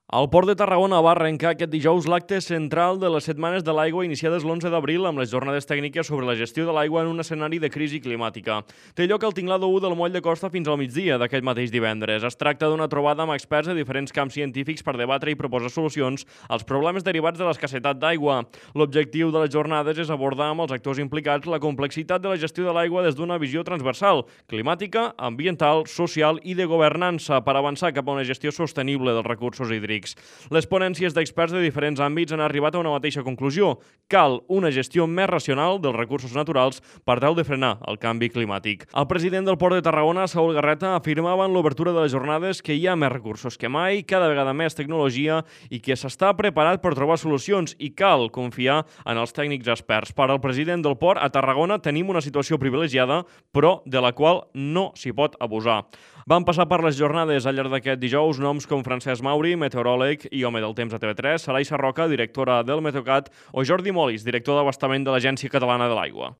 El Port de Tarragona va arrencar aquest dijous l'acte central de les Setmanes de l'Aigua iniciades l'11 d'abril amb les jornades tècniques sobre la gestió de l'aigua en un escenari de crisi climàtica. Té lloc al tinglado 1 del Moll de Costa fins al migdia d'aquest mateix divendres. Es tracta d'una trobada amb experts de diferents camps científics per debatre i proposar solucions als problemes derivats de l'escassetat d'aigua. L'objectiu de les jornades és abordar amb els actors implicats la complexitat de la gestió de l'aigua des d'una visió transversal, climàtica, ambiental, social i de governança per avançar cap a una gestió sostenible dels recursos hídrics. Les ponències d'experts de diferents àmbits han arribat a una mateixa conclusió. Cal una gestió més racional dels recursos naturals per tal de frenar el canvi climàtic. El president del Port de Tarragona, Saúl Garreta, afirmava en l'obertura de les jornades que hi ha més recursos que mai, cada vegada més tecnologia i que s'està preparat per trobar solucions i cal confiar en els tècnics experts. Per al president del Port, a Tarragona tenim una situació privilegiada, però de la qual no s'hi pot abusar. Van passar per les jornades al llarg d'aquest dijous noms com Francesc Mauri, meteoròleg i home del temps a TV3, Sarai Sarroca, directora del Meteocat, o Jordi Molis, director d'abastament de l'Agència Catalana de l'Aigua.